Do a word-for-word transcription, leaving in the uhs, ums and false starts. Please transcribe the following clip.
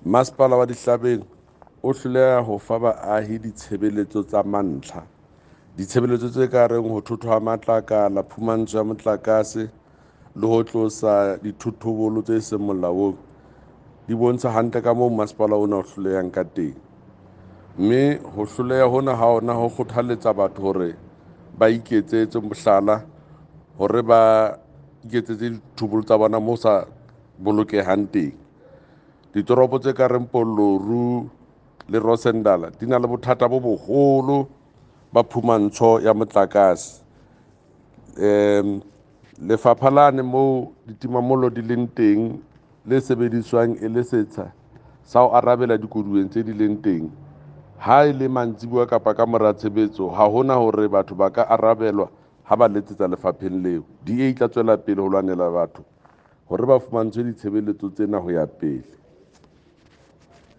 Masepala wa Dihlabeng o hloleha ho fa baahi ditshebeletso tsa mantlha. Ditshebeletso tse ka reng ho thothwa ha matlakala, phumantsho ya motlakase le ho tlosa dithothobolo tse seng molaong di bontsha hantle ka moo masepala ona o hlolehang ka teng. Mme ho hloleha hona ha ona ho kgothaletsa batho hore ba iketsetse mohlala, hore ba iketsetse dithobolo tsa bona moo sa bolokehang teng. Ditoropo tse ka reng Polloru le Rosendal di na le bothata bo boholo ba phumantsho ya motlakase. Um lefapha lane moo ditimamollo di leng teng le sebediswang e le setsha sa ho arabela dikoduweng tse di leng teng, ha e le mantsibuya kapa ka mora tshebetso, ha hona hore batho ba ka arabelwa ha ba letsetsa lefapheng leo. D A e tla tswela pele ho lwanela batho hore ba fumantshwe ditshebeletso tsena ho ya pele.